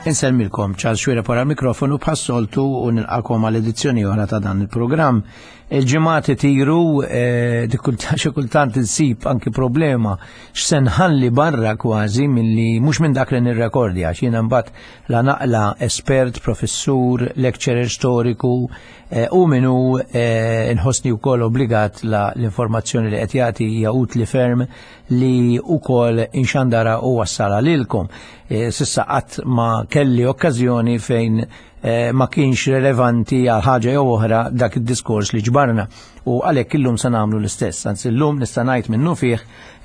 Insellmilkom Charles Xuereb wara l-mikrofonu bħas-soltu u nilqakom għal edizzjoni oħra ta' dan il-programm. Il-ġimgħat itiru eh, xi kultant insib anki problema x'se nħalli barra kważi milli mhux minn dak li nirrekordja għax jiena mbagħad la naqla espert, professur, lecturer storiku eh, u minnu eh, nħossni wkoll obbligat la l-informazzjoni li qed jagħti hija utli ferm li wkoll inxandara u wassala lilkom. E, sissa qatt ma kelli okkażjoni fejn e, ma kienx relevanti għal ħaġa jew oħra dak id-diskors li ġbarna. U għalhekk illum se nagħmlu l-istess. Anzi illum nista' ngħid minnu fih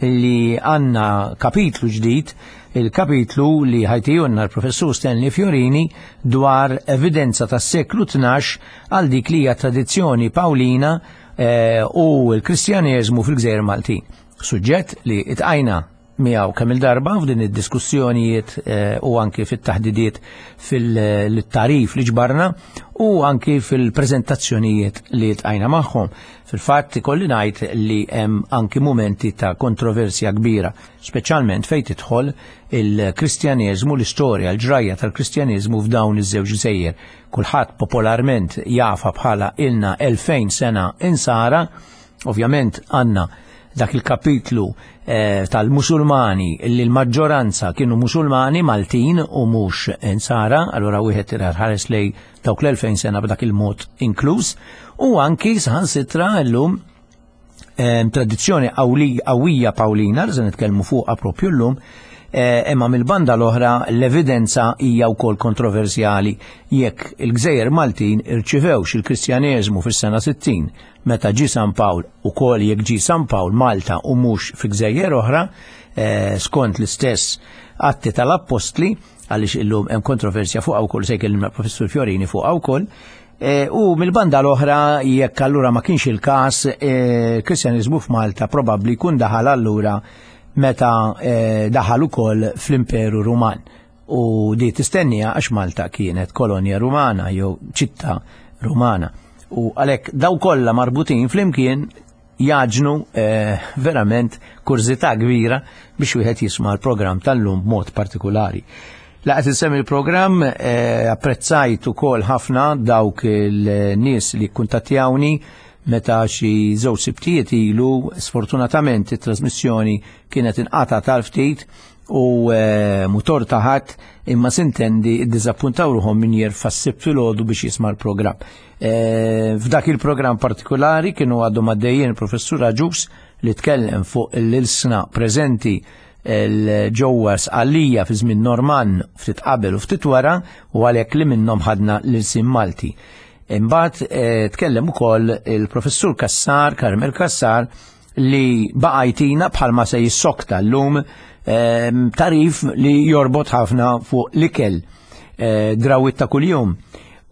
li għandna kapitlu ġdid, il-kapitlu li ħajtijunna l-professur Stanley Fiorini dwar evidenza tas-seklu 12 għal dik li hija tradizzjoni Pawlina e, u l-Kristjaneżmu fil-Gżejjer Maltin. Suġġett li itqajna miegħu kemm il-darba f'din id-diskussjonijiet eh, u anki fit-taħdidiet fil-tarif li ġbarna u anki fil-preżentazzjonijiet li tqajna magħhom. Fil-fatt ikolli ngħid li hemm anki mumenti ta' kontroversja kbira, speċjalment fejn tidħol il-Kristjaneżmu, l-istorja, l-ġrajja tal-Kristjaneżmu f'dawn iż-żewġ gżejjer. Kulħadd popolarment jafa bħala ilna 2000 sena insara, Ovvjament għandna dak il-kapitlu eh, tal-Musulmani li l-maġġoranza kienu Musulmani Maltin u mhux Insara, allura wieħed ħares lej dawk l-2000 sena b'dak il-mod inkluż, u anki saħansitra llum eh, tradizzjoni qawwija Pawlina li se nitkellmu fuqha propju llum, eh, imma mill-banda l-oħra l-evidenza hija wkoll kontroversjali jekk il-Gżejjer Maltin irċivewx il-Kristjaneżmu fis-sena 60 meta ġie San Pawl ukoll jekk ġie San Pawl Malta u mhux fi gżejjer oħra, eh, skont l-istess atti tal-Appostli, għaliex illum hemm kontroversja fuqha wkoll se jkellimna professur Fiorini fuqha wkoll. Eh, u mill-banda l-oħra jekk allura ma kienx il-każ, eh, Kristjaniżmu f'Malta probabbli jkun daħal allura meta daħal ukoll fl-Imperu Ruman. U di tistennija għax Malta kienet kolonja Rumana jew ċittà Rumana. U għalhekk daw kollha marbutin flimkien jaġnu eh, verament kurżità kbira biex wieħed jisma' l-programm tal-lum b'mod partikolari. Laqgħet insemmi l-programm eh, apprezzajt ukoll ħafna dawk il-nies li kuntattjawni meta xi żewġ sibtijiet ilu sfortunatament it-trasmissjoni kienet inqata' tal-ftit u eh, mutor taħat imma sintendi iddiżappuntaw ruħhom min jerfa' s-sibt filgħodu biex jisma' l-programm. Eh, f'dak il-programm partikolari kienu għadhom għaddejjin il-professur Aġus li tkellem fuq l-ilsna preżenti ġewwa Sqallija fi żmien Norman ftit qabel u ftit wara u għalhekk li minnhom ħadna l-ilsien Malti. Imbagħad eh, tkellem ukoll il-professur Kassar, Carmel Kassar, li baqa' jtina bħalma se jissokta llum ehm, tarif li jorbot ħafna fuq l-ikel eh, drawit ta' kuljum,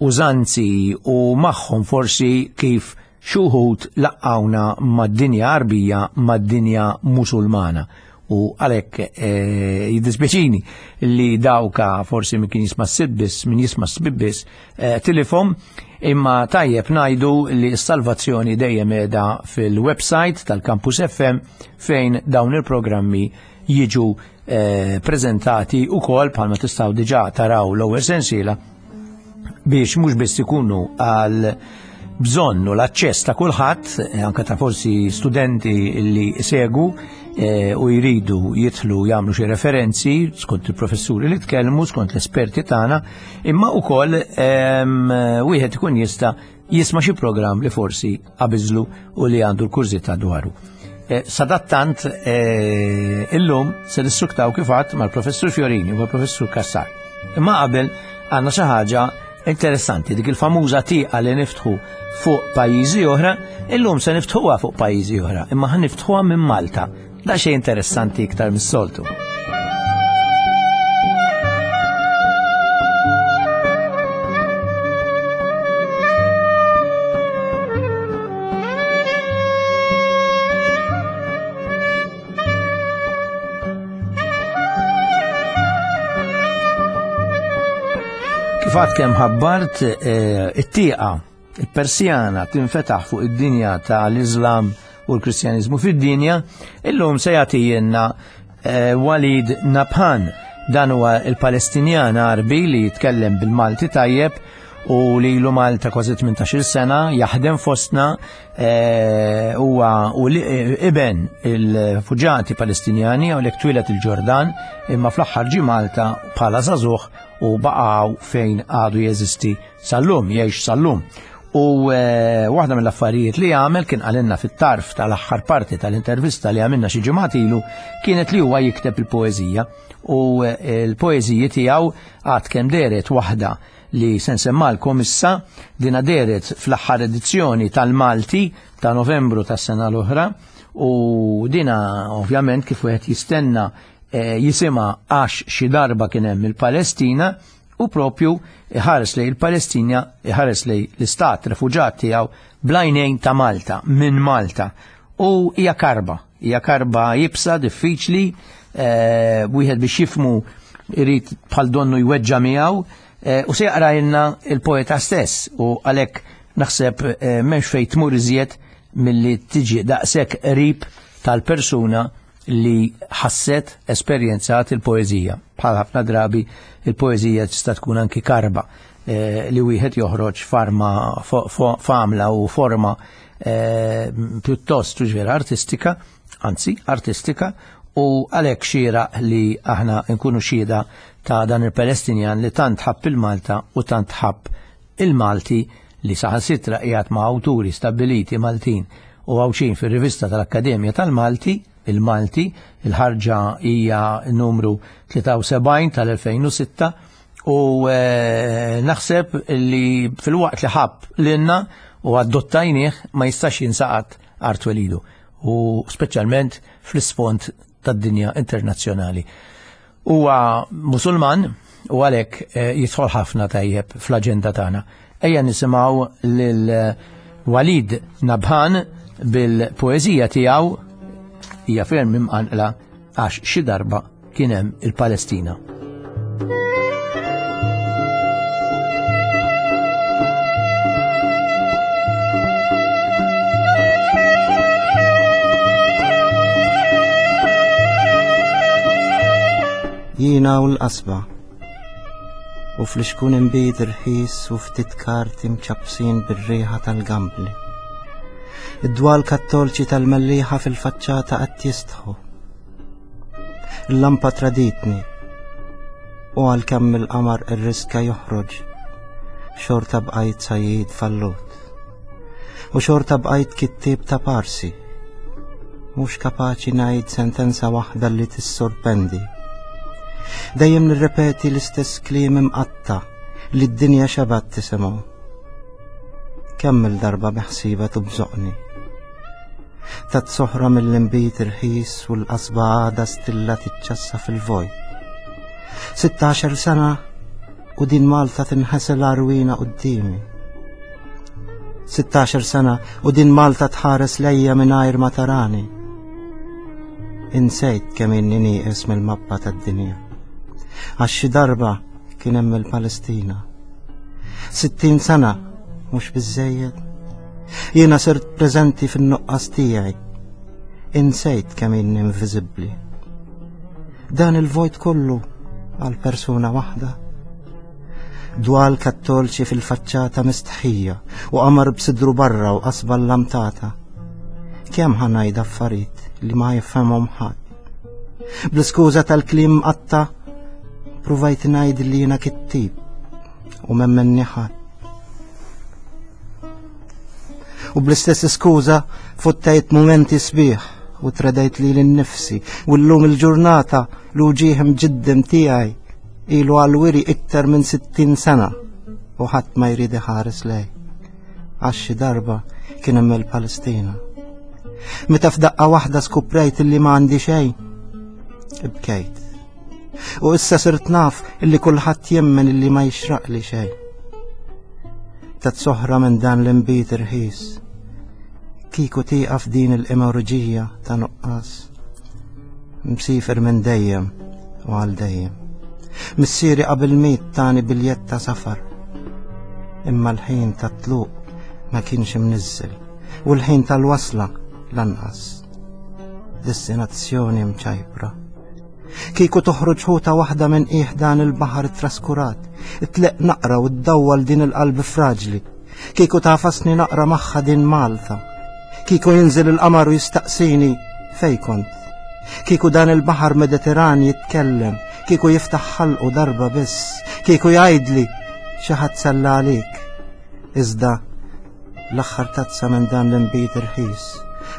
użanzi u magħhom forsi kif xuħut laqqawna mad-dinja Arbija mad-dinja Musulmana. U għalhekk eh, jiddispjaċini li dawka forsi min kien jisma' s-sibbis, min jisma' s-sibbis, eh, tilifhom, imma tajjeb ngħidu li s-salvazzjoni dejjem qiegħda fil-website tal-Campus FM fejn dawn il-programmi jiġu eh, prezentati ukoll bħalma tistgħu diġà taraw l-ewwel sensiela biex mhux biss ikunu għal bżonn u l-aċċess ta' kulħadd, eh, anke ta' forsi studenti li segu eh, u jridu jidħlu jagħmlu xi referenzi skont il-professuri li tkellmu, skont l-esperti tagħna, imma wkoll ehm, wieħed ikun jista' jisma' xi programm li forsi qabiżlu u li għandu l-kurżità dwaru. Eh, sadattant eh, illum se nissuktaw kif għadd mal-Professur Fiorini u mal-Professur Kassar. Imma qabel għandna xi ħaġa interessanti, dik il-famuża tieqa li niftħu fuq pajjiżi oħra, illum se niftħuha fuq pajjiżi oħra, imma ħan niftħuha minn Malta. Da xejn interessanti iktar mis-soltu. Kif għad kemm ħabbart eh, it-tieqa il-Persjana tinfetaħ fuq id-dinja tal-Islam u l-Kristjaniżmu fid-dinja, illum se jagħtijielna eh, Walid Nabhan Dan huwa il-Palestinjan Għarbi li jitkellem bil-Malti tajjeb u li ilu Malta kważi 18 sena jaħdem fostna eh, huwa u eh, iben il-fuġati Palestinjani u lek twilet il-Ġordan imma fl-aħħar ġie Malta bħala żagħżugħ u baqgħu fejn għadu jeżisti sal-lum, jgħix sal-lum. U eh, waħda mill-affarijiet li għamel kien għalinna fit-tarf tal-aħħar parti tal-intervista li għamilna xi ġimgħat ilu kienet li huwa jikteb il-poeżija u eh, l-poeżiji tiegħu għad kemm deret waħda li se nsemmalkom issa dina deret fl-aħħar edizzjoni tal-Malti ta' Novembru tas-sena l-oħra u dina ovvjament kif wieħed jistenna eh, jisima għax xi darba kien hemm il-Palestina u propju iħares lej il-Palestina, iħares lej l-istat refuġat tiegħu blajnejn ta' Malta, minn Malta. U hija karba, hija karba jibsa, diffiċli, eh, wieħed biex jifmu irid bħal donnu jweġġa miegħu, eh, u se jaqrajlna il-poeta stess u għalhekk naħseb eh, m'hemmx fejn tmur iżjed milli tiġi daqshekk qrib tal-persuna li ħasset esperjenzat il-poeżija. Bħal ħafna drabi il-poeżija tista' tkun anki karba eh, li wieħed joħroġ farma famla u forma eh, pjuttost vera artistika, anzi artistika, u għalhekk xira li aħna nkunu xhieda ta' dan il-Palestinjan li tant ħabb il-Malta u tant ħabb il-Malti li saħansitra qiegħed ma' awturi stabbiliti Maltin u Għawdxin fir-rivista tal-Akkademja tal-Malti, il-Malti, il-ħarġa hija numru 73 tal-2006 u eh, naħseb li fil-waqt li ħabb lilna u adottajnieh ma jistax jinsaqat art welidu u speċjalment fl-isfond tad-dinja internazzjonali. Huwa Musulman u għalhekk eh, jidħol ħafna tajjeb fl-aġenda tagħna. Ejja nisimgħu lil eh, Walid Nabhan bil-poeżija tiegħu hija ferm imqanqla għax xi darba kien hemm il-Palestina. Jiena u l-qasba u fl-xkun imbid irħis u ftit karti mċappsin bir-riħa tal-gambli. Id-dwal kattolċi tal-mellieħa fil-faċċata qed jistħu. Il-lampa traditni u għalkemm il-qamar irriska joħroġ, xorta bqajt sajjid fallut. U xorta bqajt kittieb ta' parsi. Mhux kapaċi ngħid sentenza waħda li tissorpendi. Dejjem nirrepeti l-istess kliem imqatta li d-dinja xebat tisimgħu. Kemm il-darba biħsiba tubżoqni. Tat soħra mill-inbid irħis u l-qasba għada stilla tiċċassa fil-vojt. 16 sena u din Malta tinħasel għarwina qudiemi. 16 sena u din Malta tħares lejja mingħajr ma tarani. Insejt kemm inni nieqes mill-mappa tad-dinja. Għax xi darba kien hemm il-Palestina. 60 sena mhux biżejjed. Jiena sirt preżenti fin-nuqqas tiegħi. Insejt kemm inni inviżibbli. Dan il-vojt kollu għal persuna waħda. Dwal kattolċi fil-faċċata mistħija u qamar b'sidru barra u qasba l-lamtata. Kemm ħanajda affarijiet li ma jifhemhom ħadd. Bl-iskuża tal-kliem qatta pruvajt ngħid li jiena kittib u memmenni ħadd. U bl-istess iskuża fottajt mumenti sbieħ u tredajt li l-nifsi u l-lum il-ġurnata l-uġieħ mġiddem tiegħi ilu għal-wiri iktar minn 60 sena u ħadd ma jrid iħares lej. Għax xi darba kien hemm il-Palestina. Meta f'daqqa waħda skuprejt illi ma għandi xejn, ibkejt. U issa sirt naf illi kulħadd jemmen illi ma jixraqli xejn. Tat soħra minn dan l-imbit irħis. Kiku tieqaf din il-emorġija ta' nuqqas. Msifer minn dejjem u għal dejjem. Missieri qabel miet tani biljett ta' safar. Imma l-ħin ta' tluq ma kienx imniżżel u l-ħin tal-wasla lanqas. Destinazzjoni mċajpra. Kieku toħroġ ħuta waħda minn qiegħ dan il-baħar traskurat, tleq naqra u ddawwal din il-qalb fraġli. Kieku tafasni naqra magħha din Malta. Kieku jinżel il-qamar u jistaqsini fej kont. Kieku dan il-baħar Mediterran jitkellem, kieku jiftaħ ħalqu darba biss, kieku jgħidli xi ħadd salla għalik. Iżda l-aħħar tazza minn dan l-inbid irħis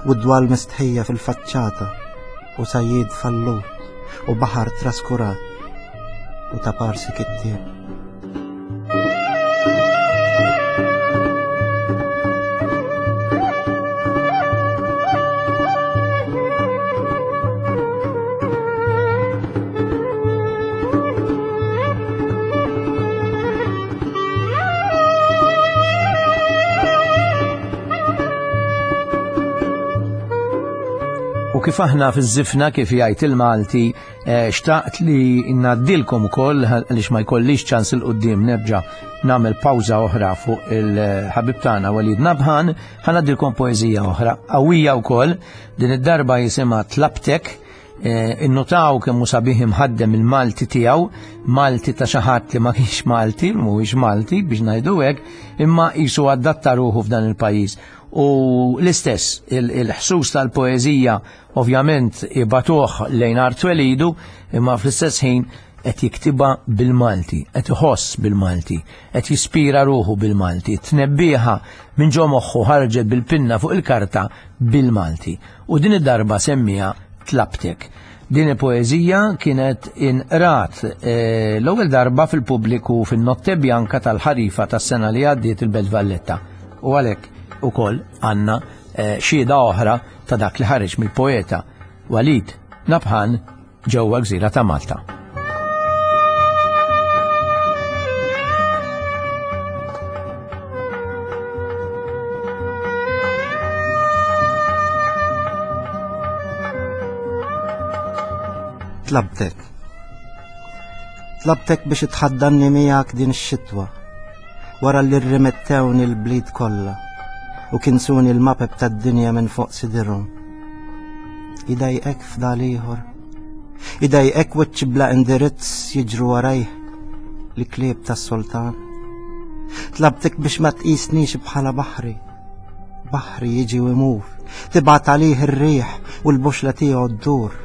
u d-dwal mistħija fil-faċċata u sajjid fallut u baħar traskurat u ta' parsi kittieb. U kif aħna fiż-żifna kif jgħid il-Malti, eh, xtaqt li ngħaddilkom ukoll għaliex ma jkollix ċans il qudiem nerġa' nagħmel pawża oħra fuq il-ħabib tagħna Walid Nabhan, ħanaddilkom poeżija oħra qawwija wkoll din id-darba jisimha Tlabtek Eh, innotaw kemm hu sabiħ imħaddem il-Malti tiegħu, Malti ta' xi ħadd li ma kienx Malti, mhuwiex Malti biex ngħidu hekk, imma qisu adatta ruħu f'dan il-pajjiż. U l-istess, il-ħsus tal-poeżija ovvjament ibatuh lejn art twelidu, imma fl-istess ħin qed jiktibha bil-Malti, qed iħoss bil-Malti, qed jispira ruħu bil-Malti, tnebbieħa minn ġo moħħu ħarġet bil-pinna fuq il-karta bil-Malti. U din id-darba semmiha Tlabtek. Din il-poeżija kienet inqrat eh, l-ewwel darba fil-pubbliku fin-Notte Bianca tal-ħarifa tas-sena li għaddiet il-Belt Valletta. U għalhekk ukoll għandna eh, xhieda oħra ta' dak li ħareġ mill-poeta Walid Nabhan ġewwa gżira ta' Malta. Tlabtek. Tlabtek biex tħaddanni miegħek din ix-xitwa wara li rrimettewni l-bliet kollha u kinsuni l-mapep tad-dinja minn fuq sidirhom. Idajqek f'dal ieħor. Idajqek wiċċ bla indirizz jiġru warajh li klieb tas-sultan. Tlabtek biex ma tqisnix bħala baħri. Baħri jiġi u imur, tibgħat għalih ir-riħ u l-boxla tiegħu ddur.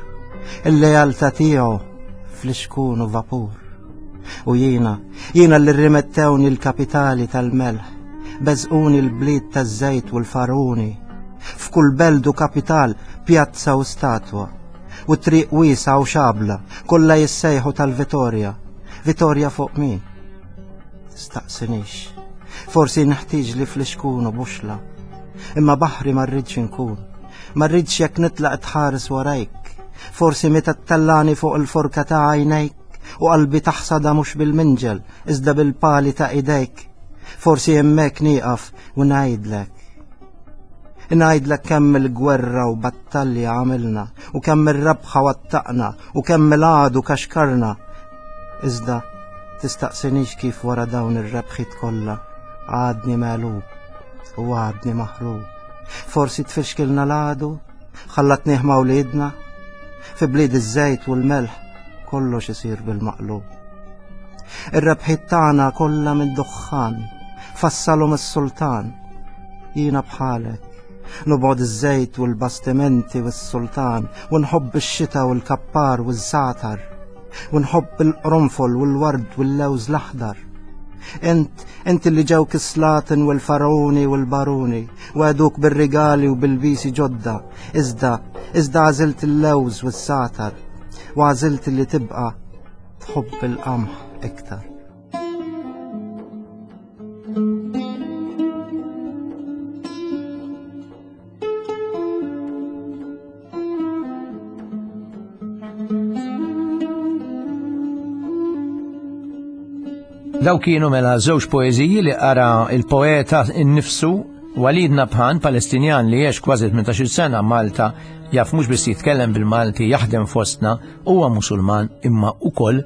Il-lealtà tiegħu fl-ixkun u vapur. U jiena, jiena li rrimettewni l-kapitali tal-melħ, beżquni l-bliet taż-żejt u l-faruni, F'kull belt u kapital, pjazza u statwa. U triq wiesgħa u xabla, kollha jissejħu tal-Vitorja. Vitorja fuq min? Staqsinix. Forsi nħtieġ li flixkun u buxla. Imma baħri ma rridx inkun. Ma rridx jekk nitlaq tħares warajk. Forsi meta ttellani fuq il-forka ta' għajnejk u qalbi taħsada mhux bil-minġel, iżda bil-pali ta' idejk. Forsi hemmhekk nieqaf u ngħidlek. Ngħidlek kemm il-gwerra u battalja għamilna u kemm ir-rabħa wattaqna u kemm il-għadu kaxkarna. Iżda tistaqsinix kif wara dawn ir-rebħiet kollha għadni megħlub u għadni maħrub. Forsi tfixkilna l-għadu, ħallatnih ma' wliedna, fi blied iż-żejt u l-melħ kollox isir bil-maqlub. Ir-rebħiet tagħna kollha mid-duħħan, fassalhom is-sultan. Jiena bħalek, nobgħod iż-żejt u l-bastimenti u s-sultan, u nħobb ix-xita u l-kappar u ż-żatar, u nħobb il-qronfol u l-ward u l-lewż l-aħdar. Int, int li ġew kislaten u l-faruni u l-baruni, u għeduk bil-rigali u bil-bisi ġodda, iżda, iżda għażilt il-lewż u s-satar, u għażilt li tibqa' tħobb il-qamħ iktar. Daw kienu mela żewġ poeżiji li qara il-poeta innifsu Walid Nabhan, Palestinjan li għex kważi 18 sena Malta, jaf mhux biss jitkellem bil-Malti, jaħdem fostna, huwa Musulman imma ukoll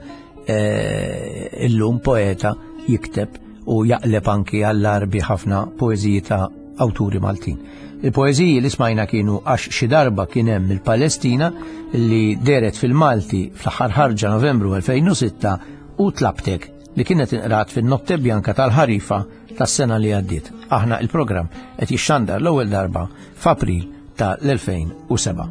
eh, illum poeta jikteb u jaqleb anki għall-arbi ħafna poeżiji ta' awturi Maltin. Il-poeżiji li smajna kienu għax xi darba kien hemm il-Palestina li deret fil-Malti fl-aħħar ħarġa Novembru 2006 u Tlabtek li kienet inqrat fin-Notte Bianca tal-Ħarifa tas-sena li għaddiet. Aħna il-programm qed jixxandar l-ewwel darba f'April ta' l-2007.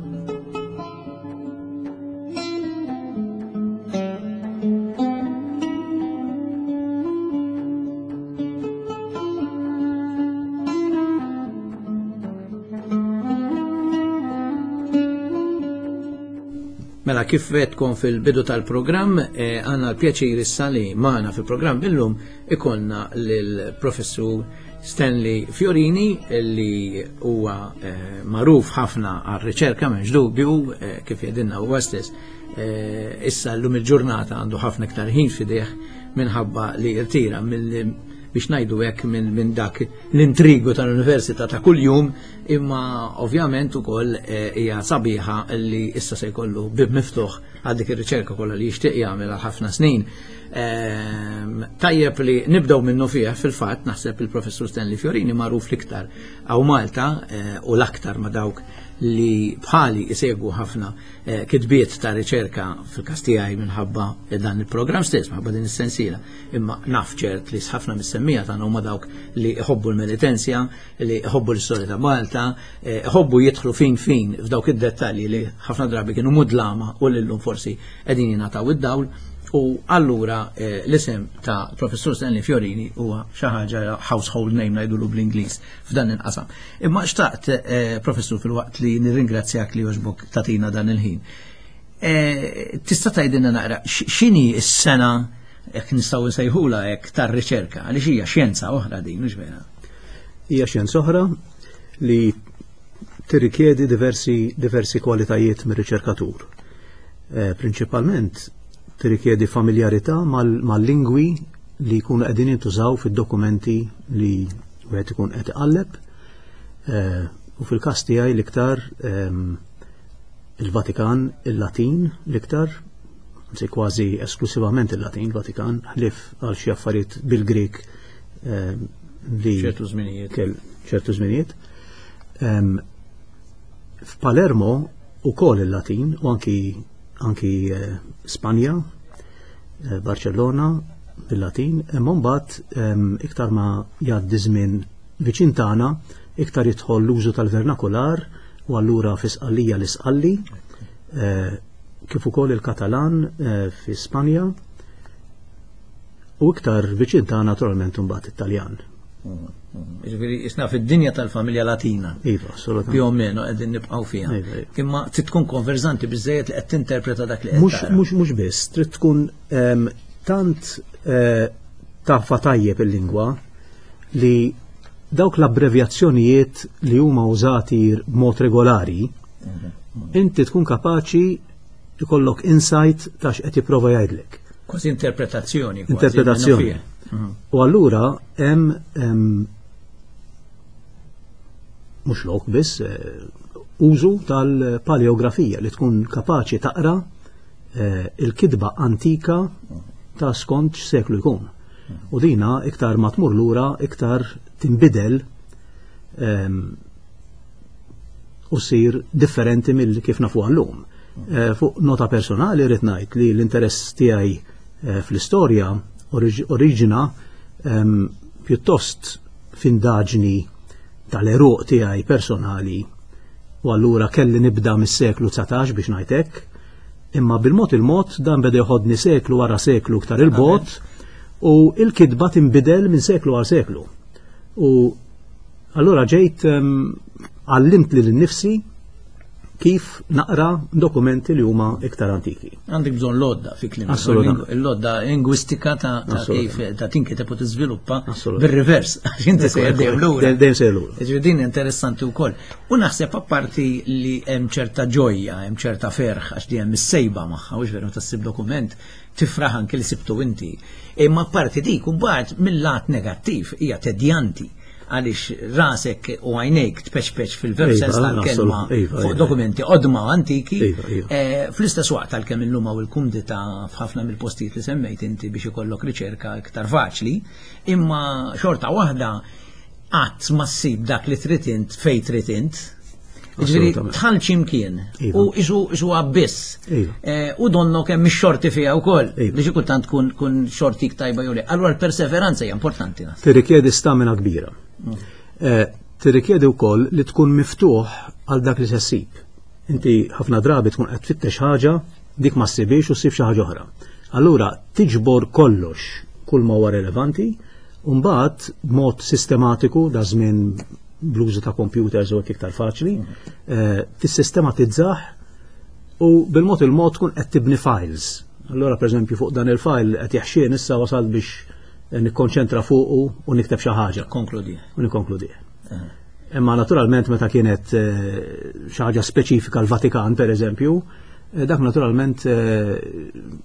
Mela kif tkun fil-bidu tal-programm, eh, għanna l-pjaċir issa li maħna fil-programm illum ikollna lill-professur Stanley Fiorini li huwa eh, magħruf ħafna għar-riċerka m'hemmx dubju eh, kif jedinna huwa stess. Eh, issa llum il-ġurnata għandu ħafna iktar ħin fideh minħabba li irtira mill biex ngħidu hekk minn dak l-intrigu tal-università ta' kuljum, imma ovvjament ukoll hija sabiħa li issa se jkollu bib miftuħ għal dik ir-riċerka kollha li jixtieq jagħmel għal ħafna snin. Ehm, tajjeb li nibdew minnu fih fil-fatt naħseb il-professur Stanley Fiorini magħruf l-iktar għaw Malta eh, u l-aktar ma dawk li bħali isegwu ħafna eh, kitbiet ta' riċerka fil-każ tiegħi minħabba dan il-programm stess, minħabba din is-sensiela. Imma naf ċert li ħafna mis-semmija tagħna huma dawk li jħobbu l-Melitensja, li jħobbu l-istorja ta' Malta, eh, jħobbu jidħlu fin fin f'dawk id-dettalji li ħafna drabi kienu mudlama u lillum forsi qegħdin jingħataw id-dawl u allura eh, l-isem ta' Professur Stanley Fiorini huwa xi ħaġa household name ngħidulu bl-Ingliż f'dan il-qasam. Imma xtaqt eh, Professur fil-waqt li nirringrazzjak li jogħġbok tatina dan il-ħin. Eh, tista' tgħidilna naqra x'inhi s-sena jekk nistgħu nsejħula hekk tar-riċerka għaliex hija xjenza oħra din, mhux vera? Hija xjenza oħra li tirrikjedi diversi, diversi kwalitajiet mir-riċerkatur. Eh, prinċipalment tirrikjedi familjarità mal-lingwi li jkunu qegħdin jintużaw fid-dokumenti li wieħed ikun qed iqalleb. Eh, u fil-każ tiegħi l-iktar ehm, il-Vatikan, il-Latin l-iktar, anzi kważi esklusivament il-Latin, Vatikan, ħlief għal xi affarijiet bil-Grek ehm, li ċertu żminijiet. ċertu żminijiet. Ehm, F'Palermo ukoll il-Latin u anki anki eh, Spanja, eh, Barcellona bil-Latin, imma mbagħad ehm, iktar ma jgħaddi żmien viċin tagħna, iktar jidħol l-użu tal-vernakular u allura fi Sqallija l-Isqalli, eh, kif ukoll il-Katalan fi Spanja u iktar viċin tagħna naturalment imbagħad it-Taljan. Ġifieri isna fid-dinja tal-familja Latina. Iva, assolutament. Più o meno qegħdin nibqgħu fiha. Iva, iva. Imma trid tkun konverżanti biżejjed li qed tinterpreta dak li qed. Mhux mhux biss, trid tkun ehm, tant eh, tafa tajjeb il-lingwa li dawk l-abbrevjazzjonijiet li huma użati b'mod regolari, mhm, mhm. inti tkun kapaċi ikollok insight ta' x'qed jipprova jgħidlek. Kważi interpretazzjoni. Interpretazzjoni. Mhm. U allura hemm mhux lok biss eh, użu tal-paleografija li tkun kapaċi taqra eh, il-kitba antika ta' skont x'seklu jkun. U dina iktar ma tmur lura iktar tinbidel ehm, u sir differenti mill kif nafu għallum. Eh, fuq nota personali rrid ngħid li l-interess tiegħi eh, fl-istorja oriġina ehm, pjuttost f'indaġni tal-eruq tiegħi personali u allura kelli nibda mis-seklu 19 biex ngħid hekk, imma bil-mod il-mod dan beda jħodni seklu wara seklu iktar il-bot u il-kitba tinbidel minn seklu għal seklu. U Allura ġejt għallimt lil nnifsi kif naqra dokumenti li huma iktar antiki. Għandek bżonn lodda fi kliem. Assolutament. Il-lodda lingwistika ta' kif ta' tinkiteb u tiżviluppa bir-rivers għax inti sejjer dejjem lura. Dejjem sejjer lura. Ġifieri din interessanti wkoll. U naħseb apparti li hemm ċerta ġojja, hemm ċerta ferħ għax di hemm is-sejba magħha, u veru tassib dokument tifraħ anke li sibtu inti. Imma apparti dik u mbagħad mill-lat negattiv hija tedjanti għaliex rasek u għajnejk tpeċpeċ fil-veru iva, sens tal-kelma iva, fuq iva. dokumenti qodma antiki. Eh, fl-istess waqt għalkemm illum hawn il-kumdità f'ħafna mill-postijiet li semmejt inti biex ikollok riċerka iktar faċli, imma xorta waħda qatt ma ssib dak li trid int fejn trid int. Ġifieri tħall x'imkien iva. u isu isu abbiss. Iva. Eh, u donno kemm ix-xorti fiha wkoll iva. li xi kultant tkun kun xortik tajba jew le. Allura l-perseveranza hija importanti. Tirrikjedi stamina kbira. Mm. Eh, tirrikjedi wkoll li tkun miftuħ għal dak li se ssib. Inti ħafna drabi tkun qed tfittex ħaġa dik ma ssibix u ssib xi ħaġa oħra. Allura tiġbor kollox kull ma huwa relevanti u mbagħad b'mod sistematiku da żmien bl-użu ta' computers u iktar faċli, eh, tissistematizzah u bil-mod il-mod tkun qed tibni files. Allura pereżempju fuq dan il-file qed jaħxien issa wasal biex nikkonċentra fuqu u nikteb xi ħaġa. Konkludi. U nikkonkludi. Eh. Imma naturalment meta kienet eh, xi ħaġa speċifika l-Vatikan pereżempju, eh, dak naturalment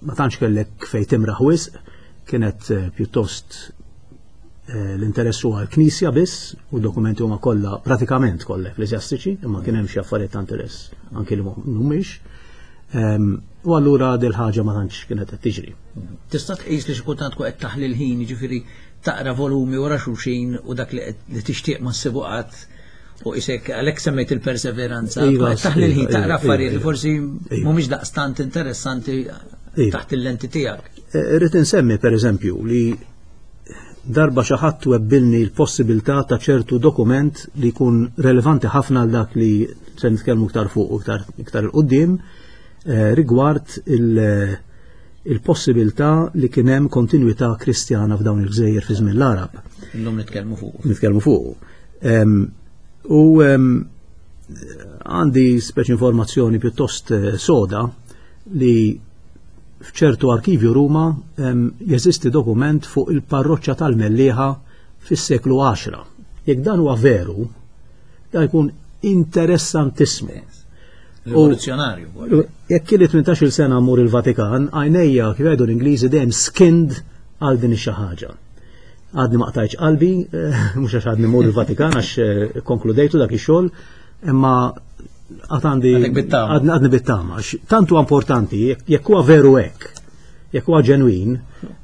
ma tantx kellek fejn timraħ wisq, kienet pjuttost l-interess huwa l-Knisja biss u dokumenti huma kollha pratikament kollha ekkleżjastiċi, imma kien hemm xi affarijiet ta' interess anki li mhumiex. Ehm, u allura dil ħaġa ma tantx kienet qed tiġri. Tista' tqis li xi kultant tkun qed taħli l-ħin, jiġifieri taqra volumi wara xulxin u dak li tixtieq ma ssibu qatt u isek għalhekk semmejt il-perseveranza, iva, taħli l-ħin iva, taqra iva, affarijiet li forsi mhumiex daqstant interessanti taħt il-lenti tiegħek. Eh, irrid insemmi pereżempju li darba xi ħadd webbilni l-possibilità ta' ċertu dokument li jkun relevanti ħafna għal dak li se nitkellmu iktar fuq u iktar iktar il-qudiem eh, rigward il-possibilità li kien hemm kontinwità kristjana f'dawn il-gżejjer fi żmien l-Arab. Illum nitkellmu fuq. Nitkellmu fuq. U għandi speċi informazzjoni pjuttost eh, soda li f'ċertu arkivju Ruma jeżisti dokument fuq il-parroċċa tal-Mellieħa fis-seklu 10. Jekk dan huwa veru, dan jkun interessantissmu. Rivoluzzjonarju. Jekk kien 18-il sena mmur il-Vatikan, għajnejja kif jgħidu l-Ingliżi dejjem skinned għal din ix ħaġa. Għadni ma qtajtx qalbi, eh, mhux għax għadni mmur il-Vatikan għax eh, konkludejtu dak ix-xogħol, imma għad għandi għadni bittama. Tant huwa importanti, jekk huwa veru hekk, jekk huwa ġenwin,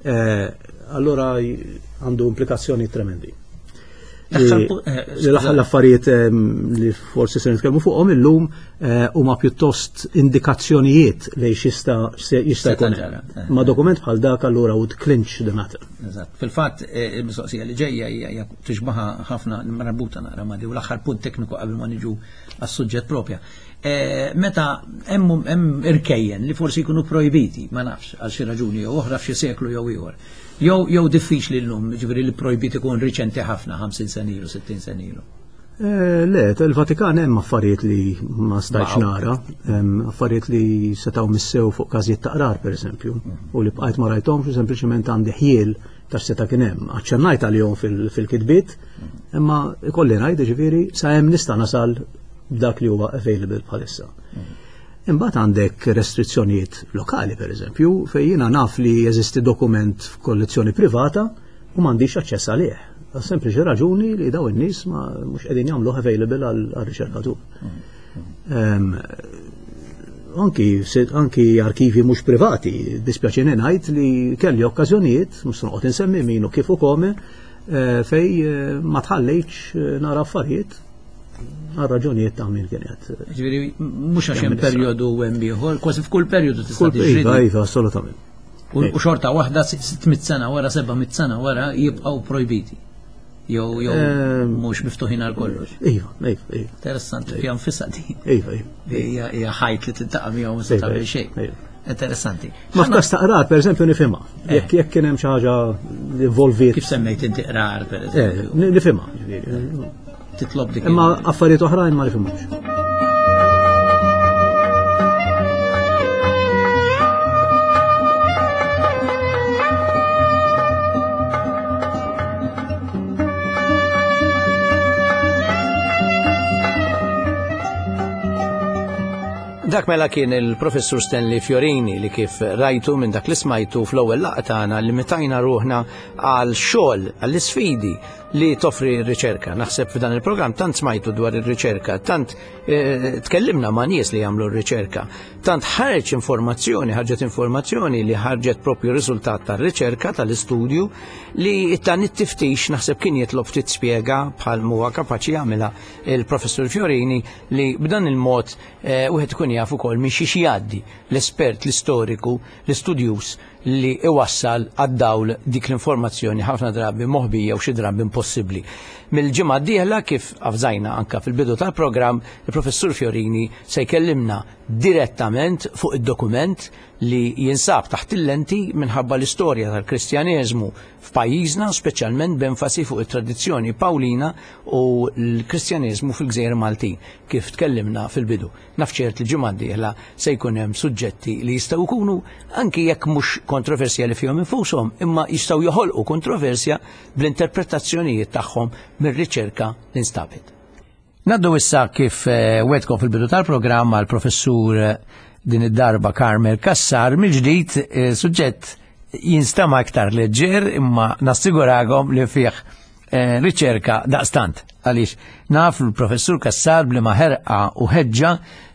eh, allura għandu implikazzjoni tremendi. Eh, l-affarijiet ehm, li forsi se nitkellmu fuqhom illum eh, huma pjuttost indikazzjonijiet li xista jista' jkun. Eh. Ma dokument bħal dak allura would clinch the matter. Eżatt. Fil-fatt il-mistoqsija li ġejja hija tixbaħa ħafna marbuta naqra ma' u l-aħħar punt tekniku qabel ma niġu għas-suġġett propja. Meta hemm irkejjen li forsi jkunu projbiti, ma nafx għal xi raġuni jew oħra f'xi seklu jew ieħor. Jew jew diffiċli llum, ġifieri li projbit ikun riċenti ħafna, 50 sena ilu, 60 sena ilu. Eh, le, il-Vatikan hemm affarijiet li ma stajtx nara, affarijiet li setgħu missew fuq każijiet ta' qrar pereżempju, mhm. u li bqajt ma rajthomx u sempliċement għandi ħjiel ta' seta' kien hemm. Aċċennajt għalihom fil-kitbiet, mhm. imma ikolli ngħid ġifieri sa hemm nista' nasal b'dak li huwa available bħalissa. Mhm. Imbagħad għandek restrizzjonijiet lokali, pereżempju, fejn jiena naf li jeżisti dokument f'kollezzjoni privata u m'għandix aċċess għalih. Għal sempliċi raġuni li daw in-nies ma mhux qegħdin jagħmluh available għal-riċerkatur. Ehm, anki, anki arkivi mhux privati, dispjaċini ngħid li kelli okkażjonijiet, mhux se noqgħod insemmi min u kif u kome, eh, fej eh, ma tħallejtx eh, nara affarijiet Għal raġunijiet ta' min kien qed. Ġifieri mhux għax hemm perjodu u hemm ieħor, kważi f'kull perjodu tista' tiġri. Iva, iva, assolutament. U xorta waħda 600 sena wara 700 sena wara jibqgħu projbiti. Jew jew ehm, mhux miftuħin għal kollox. Iva, iva, iva. Interessanti fija nfisha di. Iva, iva. Hija ħajt li tintaqa' miegħu ma se tagħmel xejn. Interessanti. Ma f'każ ta' qrar, per eżempju, nifhimha. Eh. Jekk jekk kien hemm xi ħaġa li involviet. Kif semmejt inti qrar, per eżempju? Eh, nifhimha, ġifieri. Titlob dik. Imma affarijiet oħrajn ma nifhimhomx. Dak mela kien il-Professur Stanley Fiorini li kif rajtu minn dak li smajtu fl-ewwel laqgħa tagħna li mitajna ruħna għal xogħol, għall-isfidi li toffri r-riċerka. Naħseb f'dan il-programm tant smajtu dwar ir-riċerka, tant eh, tkellimna ma' nies li jagħmlu r-riċerka, tant ħareġ informazzjoni, ħarġet informazzjoni li ħarġet propju riżultat tar-riċerka tal-istudju li dan it-tiftix naħseb kien jitlob ftit spjega bħal huwa kapaċi jagħmilha il-professur Fiorini li b'dan il-mod eh, wieħed ikun jaf ukoll minn xi jgħaddi l-espert, l-istoriku, l-istudjuż li iwassal għad-dawl dik l-informazzjoni ħafna drabi moħbija u xi drabi impossibbli. Mill-ġimgħa d-dieħla kif avżajna anka fil-bidu tal-programm, il-Professur Fiorini se jkellimna direttament fuq id-dokument li jinsab taħt il-lenti minħabba l-istorja tal-Kristjaneżmu f'pajjiżna, speċjalment b'enfasi fuq it-tradizzjoni Pawlina u l-Kristjaneżmu fil-Gżejjer Maltin, kif tkellimna fil-bidu. Naf ċert li ġimgħa d-dieħla se jkun hemm suġġetti li jistgħu jkunu anki jekk mhux kontroversjali fihom infushom, imma jistgħu joħolqu kontroversja bl-interpretazzjonijiet tagħhom mir-riċerka li nstabet. Naddu issa kif eh, wetkom fil-bidu tal-programm għal professur eh, din id-darba Carmel Kassar mill-ġdid eh, suġġett jinstama iktar leġġer imma nassigurakom li fih riċerka daqstant għaliex naf l-professur Kassar bli ma ħerqa u ħeġġa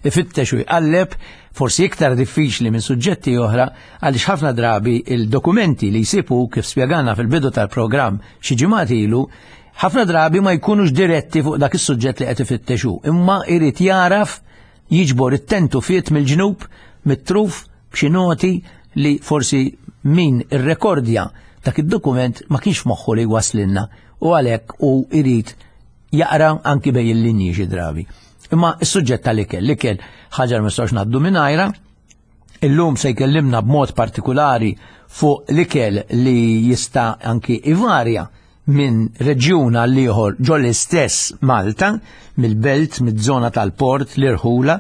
ifittex u jqalleb forsi iktar diffiċli minn suġġetti oħra għaliex ħafna drabi il-dokumenti li jsibu kif spjegana fil-bidu tal-programm xi ġimgħat ilu ħafna drabi ma jkunux diretti fuq dak is-suġġett li qed ifittexu, imma irid jaraf jiġbor it-tentu fiet mill-ġnub, mit-truf, b'xi noti li forsi min irrekordja dak id-dokument ma kienx moħħu li waslilna u għalhekk u irid jaqra anki bej il-linji xi drabi. Imma s-suġġett tal-ikel, l-ikel ħaġa ma nistgħux ngħaddu mingħajra, illum se jkellimna b'mod partikolari fuq l-ikel li jista' anki ivarja minn reġjun għal ieħor ġo l-istess Malta, mill-belt, miż-żona tal-port, l-irħula.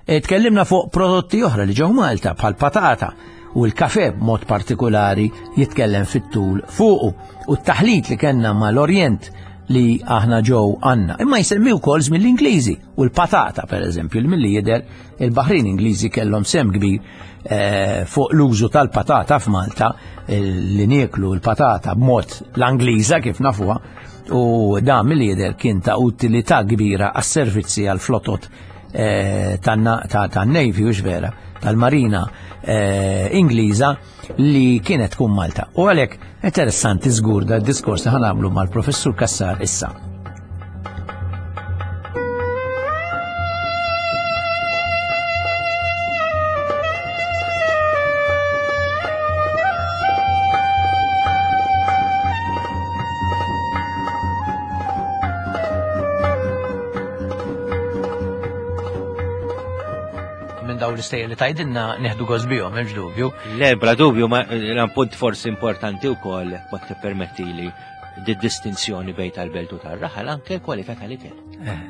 E, tkellimna fuq prodotti oħra li ġew Malta bħal patata u l-kafe b'mod partikolari jitkellem fit-tul fuqu u t-taħlit li kellna mal-Orjent li aħna ġew għandna. Imma jsemmi wkoll żmien l-Ingliżi u l-patata pereżempju li milli jidher il-Baħrin Ingliżi kellhom sem kbir eh, fuq l-użu tal-patata f'Malta eh, li nieklu l-patata b'mod l-Angliża kif nafuha u dan milli jidher kien ta' utilità kbira għas-servizzi għall-flotot eh, tan-Navy u vera tal-Marina Ingliża li kienet tkun Malta. U għalhekk interessanti żgur da diskors li ħanamlu mal-professur Kassar issa. minn daw l-istejjer li tajdilna neħdu gost bihom, hemmx dubju. Le, bla dubju, ma punt forsi importanti wkoll ma tippermettili di distinzjoni bejn tal-belt u tar-raħal anke l-kwalità tal-ikel. Eh.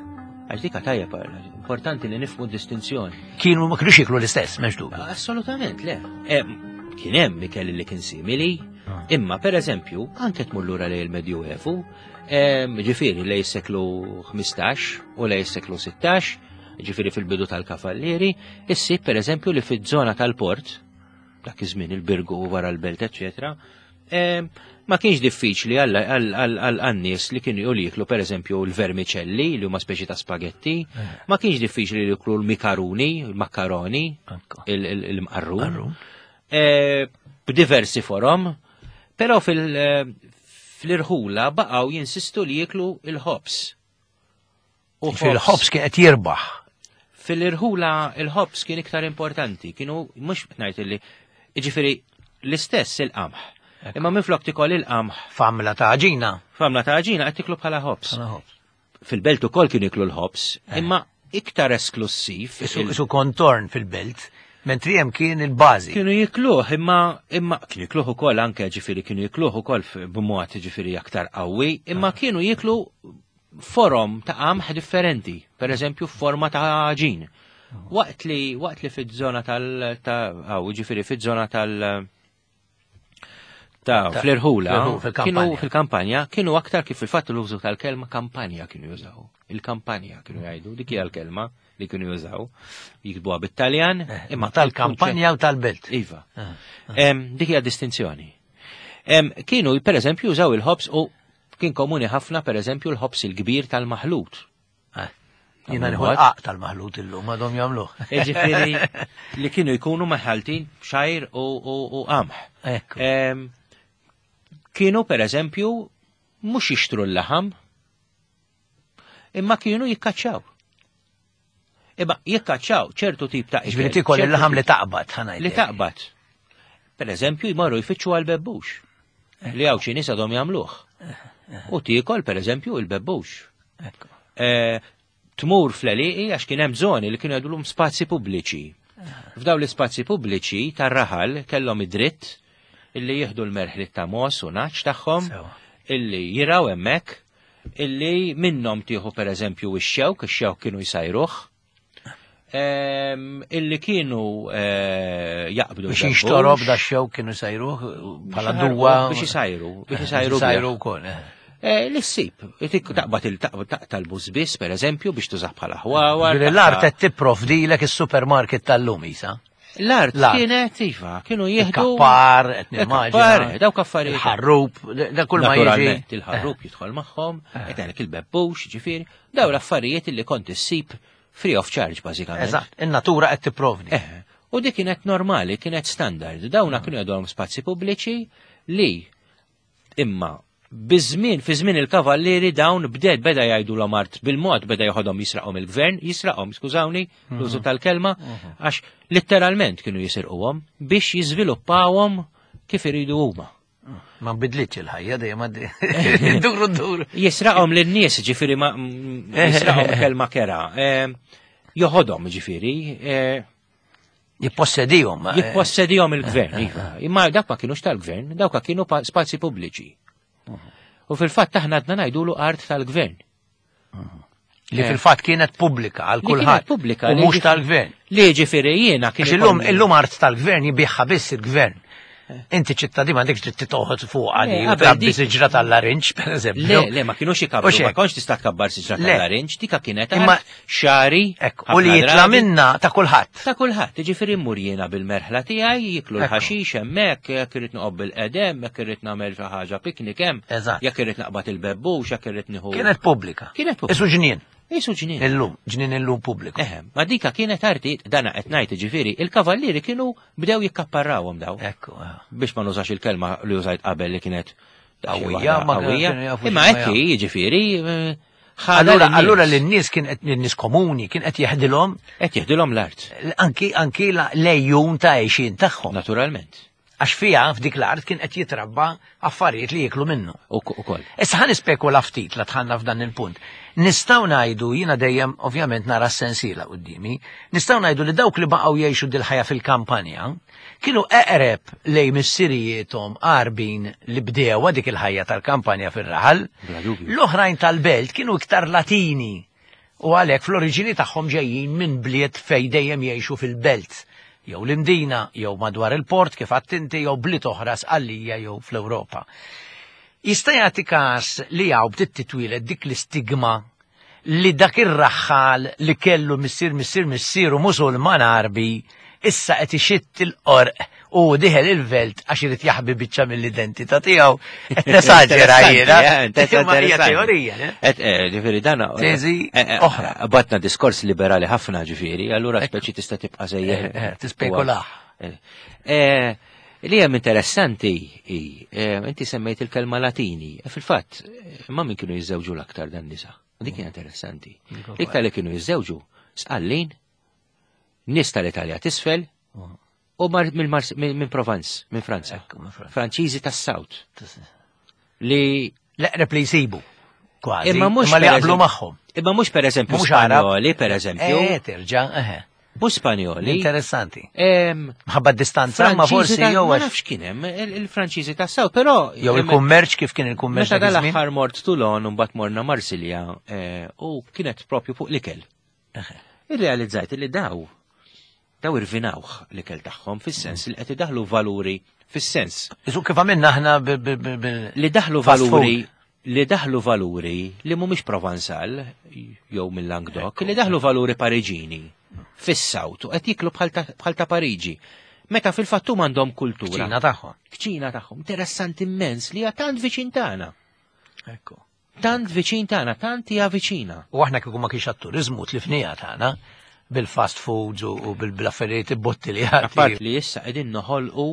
Għax dika tajjeb importanti li nifhmu distinzjoni. Kienu ma kienux jiklu l-istess, m'hemmx dubju. Assolutament, le. Eh, kien hemm ikel li kien simili, ah. imma per eżempju, anke tmur lura lejn il-Medjuevu, ġifieri lej seklu 15 u lej seklu 16, ġifieri fil-bidu tal-Kavallieri, issib pereżempju li fiż-żona tal-port, dak iż-żmien il-Birgu u wara l-belt, eċetera, ma kienx diffiċli għal-nies li kienu jiklu per eżempju l-vermicelli li huma speċi ta' spagetti, eh. ma kienx diffiċli li jiklu l-mikaruni, l-makkaroni, il-mqarrun, eh, b'diversi forom, però eh, fil-irħula baqgħu jinsistu li jiklu il-ħobs. U fil-ħobs kien qed jirbaħ. Fil-irħula il-ħobs kien iktar importanti, kienu mhux ngħid li jiġifieri l-istess il-qamħ. Imma minflok tikol il-qamħ. Famla ta' ġina. Famla ta' ġina qed tiklu bħala ħobs. Fil-belt ukoll kienu jiklu l-ħobs, eh. imma iktar esklusiv. Isu kontorn fil-belt, mentri hemm kien il-bażi. Kienu jikluh, imma imma kienu jikluh ukoll anke ġifieri kienu jikluh ukoll b'mod ġifieri aktar qawwi, imma ah. kienu jiklu forom ta' qamħ differenti, per eżempju forma ta' għaġin. Waqt li waqt li fiż-żona tal ta' ġifieri fiż-żona tal ta' fl-irħula kienu fil-kampanja kienu aktar kif fil-fatt l-użu tal-kelma kampanja kienu jużaw. Il-kampanja kienu jgħidu, dik hija l-kelma li kienu jużaw. Jiktbuha bit-Taljan, eh, imma tal-kampanja u tal-belt. Iva. Eh, eh. Dik hija distinzjoni. Kienu per eżempju jużaw il-ħobs u Kien komuni ħafna pereżempju l-ħobs il-kbir tal-maħlut. Eh, jiena nieħu l-qaq tal-maħlut illum għadhom jagħmluh. Ġifieri li kienu jkunu maħaltin xajr u qamħ. Kienu pereżempju mhux jixtru l-laħam, imma kienu jikkaċċaw. Imma jikkaċċaw ċertu tip ta' Ġifieri tikol il-laħam li taqbad, ħanajt. Li taqbad. Per eżempju, jmorru jfittxu għal bebbux. Eh. Li hawn xi nies għadhom jagħmluh. Eh, eh. U tiekol per eżempju il-bebbux. Tmur fl-għelieqi għax kien hemm żoni li kienu jgħidulhom spazji pubbliċi. F'dawn l-ispazji pubbliċi tar-raħal kellhom id-dritt illi jieħdu l-merħliet ta' mos u naċ tagħhom illi jiraw hemmhekk illi minnhom tieħu pereżempju ix-xewk, ix-xewk kienu jsajruh, illi kienu eh, jaqbdu. Biex jinxtorob da xewk kienu jsajruh bħala duwa. Biex isajru, biex isajru. Isajru wkoll. Eh. Eh, l-issib, taqbad il-taqta l-bużbis, per eżempju, biex tużaħ bħala ħwawa. L-art qed tipprovdilek is-supermarket tal-lum isa. L-art kienet iva, kienu jieħdu. Kappar, qed nimmaġina. Dawk affarijiet. Il-ħarrub, da kull ma jiġi. Il-ħarrub jidħol magħhom, qed ngħidlek il-bebbux, ġifieri, daw l-affarijiet li kont issib free of charge bażikament. Eżatt, in-natura qed tipprovdi. Eh, u dik kienet normali, kienet standard. Dawna kienu jgħidulhom spazji pubbliċi li Imma biż-żmien, fi żmien il-kavallieri dawn bded beda jgħidulhom art bil-mod beda joħodhom jisraqhom il-gvern, jisraqhom, skużawni, mhm. l-użu tal-kelma, mhm. għax letteralment kienu jisirquhom biex jiżviluppawhom kif iridu huma. Ma bidlitx il-ħajja dejjem għaddi. Duru dur. Jisraqhom lin-nies ġifieri ma jisraqhom kelma kera. Eh, joħodhom ġifieri. Eh, Jippossedihom. Eh. Jippossedihom il-gvern, iva. Imma dak ma kienux tal-gvern, dawk kienu spazji pubbliċi. U fil-fatt aħna għadna ngħidulu art tal-gvern. Li eh. fil-fatt kienet pubblika għal kulħadd. Pubblika. U mhux tal-gvern. Li ġifieri jiena kien. Illum illum art tal-gvern jibiħha biss il-gvern. Inti ċittadin m'għandekx dritt toħod fuq għali u trabbi siġra tal-larinġ, per eżempju. Le, le, ma kienux ikabru, ma kontx tista' tkabbar siġra tal-larinġ, dika kienet imma xari. U li jitla minna ta' kulħadd. Ta' kulħadd, jiġifieri mmur jiena bil-merħla tiegħi, jiklu l-ħaxix hemmhekk, jekk irid noqgħod bil-qedem, jekk irrid nagħmel xi ħaġa piknik hemm, jekk irrid naqbad il-bebbux, jekk irrid nieħu. Kienet pubblika. Kienet pubblika. Isu ġnien. Isu ġnien. Illum, ġnien illum pubbliku. Eħe, ma dika kienet arti, dana qed ngħid ġifieri, il-kavallieri kienu bdew jikkapparrawhom daw. Ekku. Eh. Biex ma nużax il-kelma li użajt qabel li kienet qawwija, ma qawwija. Imma hekk jiġifieri eh, Allura, allura l-nies kien qed n-nies komuni kien qed jeħdilhom qed jeħdilhom l-art. Anki anki l-ejjun ta' għejxin tagħhom. Naturalment. Għax fiha f'dik l-art kien qed jitrabba affarijiet li jieklu minnu. Ukoll. Issa ħa nispekula ftit la dħalna f'dan il-punt. Nistgħu ngħidu, jiena dejjem ovvjament nara s-sensiela quddiemi, nistgħu ngħidu li dawk li baqgħu jgħixu dil-ħajja fil-kampanja kienu eqreb lejn missirijiethom Għarbin li bdewha dik il-ħajja tal-kampanja fir-raħal. L-oħrajn tal-belt kienu iktar Latini u għalhekk fl-oriġini tagħhom ġejjin minn bliet fejn dejjem jgħixu fil-belt, jew l-Imdina, jew madwar il-port kif għedt inti, jew bliet oħra Sqallija jew fl-Ewropa. Jista' jagħti każ li hawn bdiet titwieled dik l-istigma li dak ir-raħħal li kellu missier missier missieru Musulman Għarbi issa qed ixitt il-qorq u diħel il-velt għax irid jaħbi biċċa mill-identità tiegħu. Qed nesaġera jiena. Imma hija teorija. Qed eh, ġifieri dan eh, teżi eh, oħra. Batna diskors liberali ħafna ġifieri, allura speċi tista' tibqa' sejjer. Tispekulaħ. Li hemm interessanti hi, inti semmejt il-kelma Latini, fil-fatt, ma min kienu jiżżewġu l-aktar dan nisa. Dik hija interessanti. Iktar li kienu jiżżewġu sqallin, nies tal-Italja t'isfel u minn Provence, minn Franza. Franċiżi tas-South. Li l-eqreb li jsibu. Kważi. Imma mhux li jaqblu magħhom. Imma mhux pereżempju Spanjoli, pereżempju. Eh, terġa', eħe. Mhux Spanjoli. Interessanti. Mħabba distanza ma forsi jew Ma nafx kien hemm il-Franċiżi tas-South, però jew il-kummerċ kif kien il-kummerċ. Meta dal-aħħar mort Toulon u mbagħad morna Marsilja eh, u kienet propju fuq l-ikel. Irrealizzajt li daw daw irvinawh l-ikel tagħhom fis-sens li qed idaħlu valuri fis-sens. Isu kif għamilna aħna bil Li daħlu valuri li daħlu valuri li mhumiex Provansal jew mill-Languedoc, li daħlu valuri Pariġini fis-Sawt u qed jiklu bħal ta' Pariġi. Meta fil-fatt huma għandhom kultura. Kċina tagħhom. Kċina tagħhom. Interessanti immens li hija tant viċin tagħna. Ekku. Tant viċin tagħna, tant hija viċina. U aħna kieku ma kienx għat-turiżmu tlifnija tagħna bil-fast foods u bil-affarijiet botti li għati. Apart li issa qegħdin noħolqu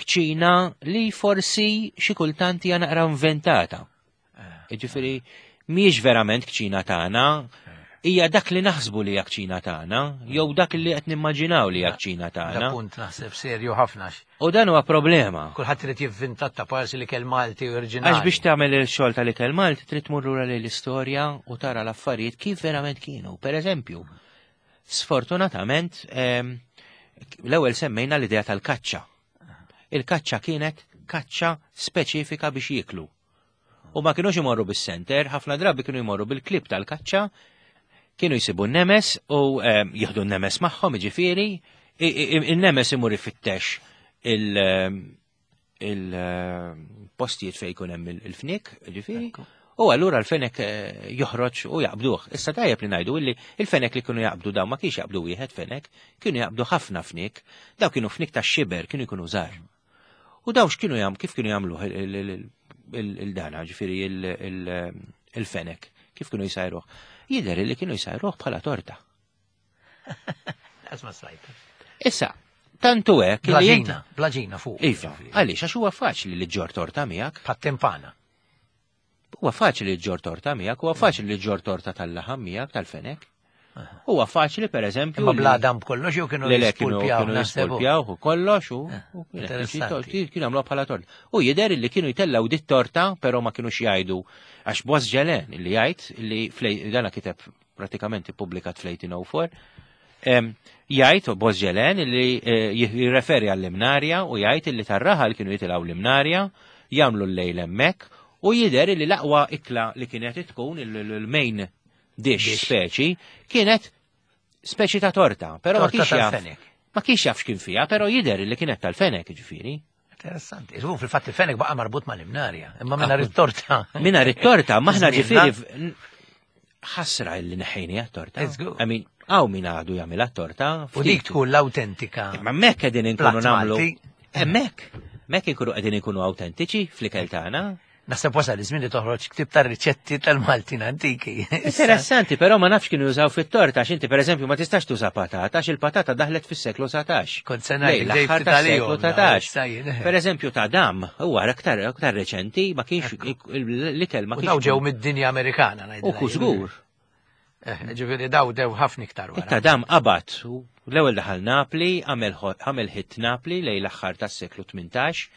kċina li forsi xi kultant hija naqra inventata. Eh. Ġifieri mhijiex verament kċina tagħna, hija dak li naħsbu li hija kċina tagħna, jew dak li qed nimmaġinaw li hija kċina tagħna. Punt naħseb serju ħafna. U dan huwa problema. Kulħadd irid jivvinta ta' parsi li kell Malti oriġinali. Għax biex tagħmel il-xogħol tal-ikel Malti trid tmur lura lejn l-istorja u tara l-affarijiet kif verament kienu. Per eżempju, sfortunatament ehm, l-ewwel semmejna l-idea tal-kaċċa. Il-kaċċa kienet kaċċa speċifika biex jieklu. U ma kienux imorru bis-senter, ħafna drabi kienu jmorru bil-klib tal-kaċċa, kienu jsibu n-nemes u ehm, jieħdu n-nemes magħhom, jiġifieri, in-nemes imur ifittex ehm, il-postijiet fejn jkun hemm il-fnik, ġifieri. U allura l-fenek eh, joħroġ u jaqbduh. Issa tajjeb li ngħidu illi il-fenek li kienu jaqbdu daw ma kienx jaqbdu wieħed fenek, kienu jaqbdu ħafna fnik, daw kienu fnik ta' xiber, kienu jkunu żgħar. U daw x'kienu jam, kif kienu jagħmluh il-dana, ġifieri il-fenek, kif kienu jsajruh? Jidher li kienu jsajruh bħala torta. Asma sajta. Issa, tantu hekk. Blaġina, blaġina fuq. Iva, għaliex għax huwa faċli li ġġor torta miegħek. Pat-timpana. Huwa faċli li ġġor torta miegħek, huwa faċli li ġġor torta tal-laħam miegħek tal-fenek. Huwa faċli per eżempju. Imma bla dam b'kollox jew kienu jispulpjaw. Kienu jispulpjaw u kollox u eh, kienu għamlu bħala torta. U jidher li kienu jtellaw dit torta, però ma kienux jgħidu għax Boż Ġelen li jgħid li dana kiteb pratikament ippubblikat fl-1804, jgħid Boż Ġelen li eh, jirreferi għall-imnarja u jgħid li tar-raħal kienu jitilgħu l-imnarja, jagħmlu l-lejl hemmhekk u jidher li l-aqwa ikla li kienet tkun il-main dish speċi kienet speċi ta' torta, però ma kienx jaf. Ma kienx jaf x'kien fiha, però jidher li kienet tal-fenek ġifieri. Interessanti. Iżu fil-fatt il-fenek baqa' marbut mal-imnarja, imma minna it-torta. Minna it-torta, maħna ġifieri ħasra li neħejni għat-torta. I mean, għaw min għadu jagħmilha torta. U dik tkun l-autentika. Imma mekk qegħdin inkunu nagħmlu. Hemmhekk, mekk inkunu qegħdin inkunu autentiċi fl-ikel tagħna. Naħseb wasal iż-żmien li toħroġ ktib ta' riċetti tal-Maltin antiki. Interessanti, però ma nafx kienu jużaw fit-torta, għax inti pereżempju ma tistax tuża patata, għax il-patata daħlet fis-seklu 19. Kont se ngħid l-aħħar tas-seklu 19. Pereżempju ta' dam, huwa aktar aktar reċenti, ma kienx l-ikel ma kienx. Daw ġew mid-dinja Amerikana ngħid. U żgur. Eh, ġifieri daw dew ħafna iktar wara. Ta' dam qabad l-ewwel daħal Napli, għamel hit Napli lejn l-aħħar tas-seklu 18,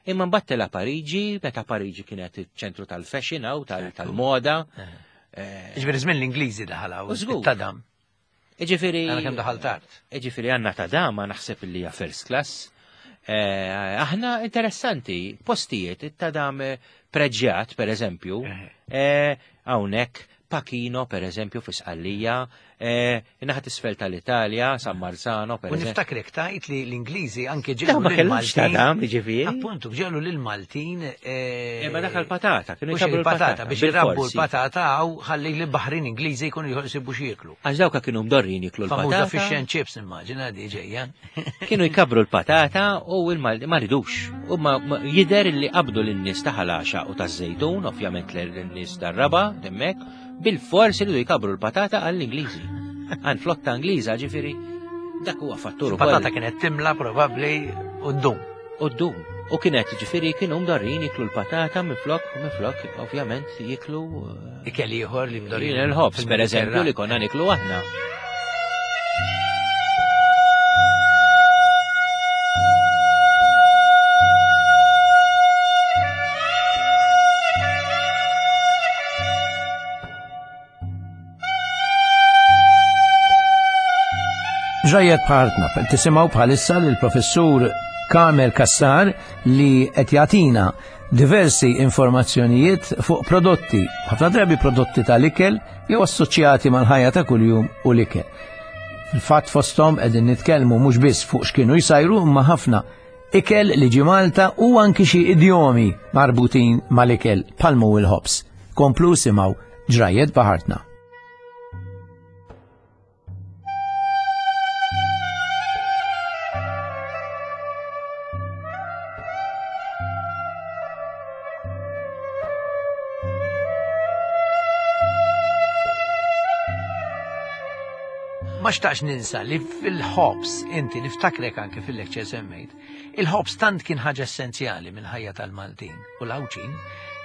imma mbagħad tela' Pariġi, meta Pariġi kienet iċ-ċentru tal-fashion hawn tal-moda. Eh. Eh, ġifieri żmien l-Ingliżi daħal hawn. Ta' dam. Ġifieri. Għana kemm daħal tard. Ġifieri għandna ta' dam ma naħseb li hija first class. Aħna interessanti, postijiet, ta' dam preġjat, per eżempju, hawnhekk Pachino, per eżempju, fi Sqallija, eh, naħat isfel tal-Italja, San Marzano, per eżempju. U niftakrek tajt li l-Ingliżi anke ġelu l-Maltin. Ta' ġifieri. Appuntu, ġelu l-Maltin. Eh, Imma dak l-patata, kienu jkabru l-patata biex jirabbu l-patata għaw ħalli l-baħrin Ingliżi jkunu jħosibu xieklu. Għax dawka kienu mdorrin jiklu l-patata. Famuża fish and chips immaġina di ġejja. Kienu jkabru l-patata u l-Malti ma ridux. U ma jider li qabdu lin-nies ta' ħalaxa u taż-żejtun, ovvjament lin-nies tar-raba, hemmhekk, bil-fors iridu jkabru l-patata għall-Ingliżi. Għal flotta Ingliża ġifieri dak huwa fattur ukoll. Patata kienet timla probabbli u ddum. U ddum. U kienet ġifieri kienu mdarrin jiklu l-patata minflok, minflok, ovvjament jiklu. Eh, Ikel ieħor li mdarrin. Il-ħobż, per eżempju, li konna niklu aħna. Ġrajiet bħartna, tisimgħu bħalissa lill professur Carmel Cassar li qed jagħtina diversi informazzjonijiet fuq prodotti, ħafna drabi prodotti tal-ikel jew assoċjati mal-ħajja ta' kuljum u l-ikel. Fil-fatt fosthom qegħdin nitkellmu mhux biss fuq x'kienu jsajru imma ħafna ikel li ġie Malta u anki xi idjomi marbutin mal-ikel bħal mhu il-ħobż. Komplu simgħu ġrajiet baħartna. Ma xtaqx ninsa li fil-ħobs, inti niftakrek anke fil-lecture semmejt, il-ħobs tant kien ħaġa essenzjali mill-ħajja tal-Maltin u l-Għawdxin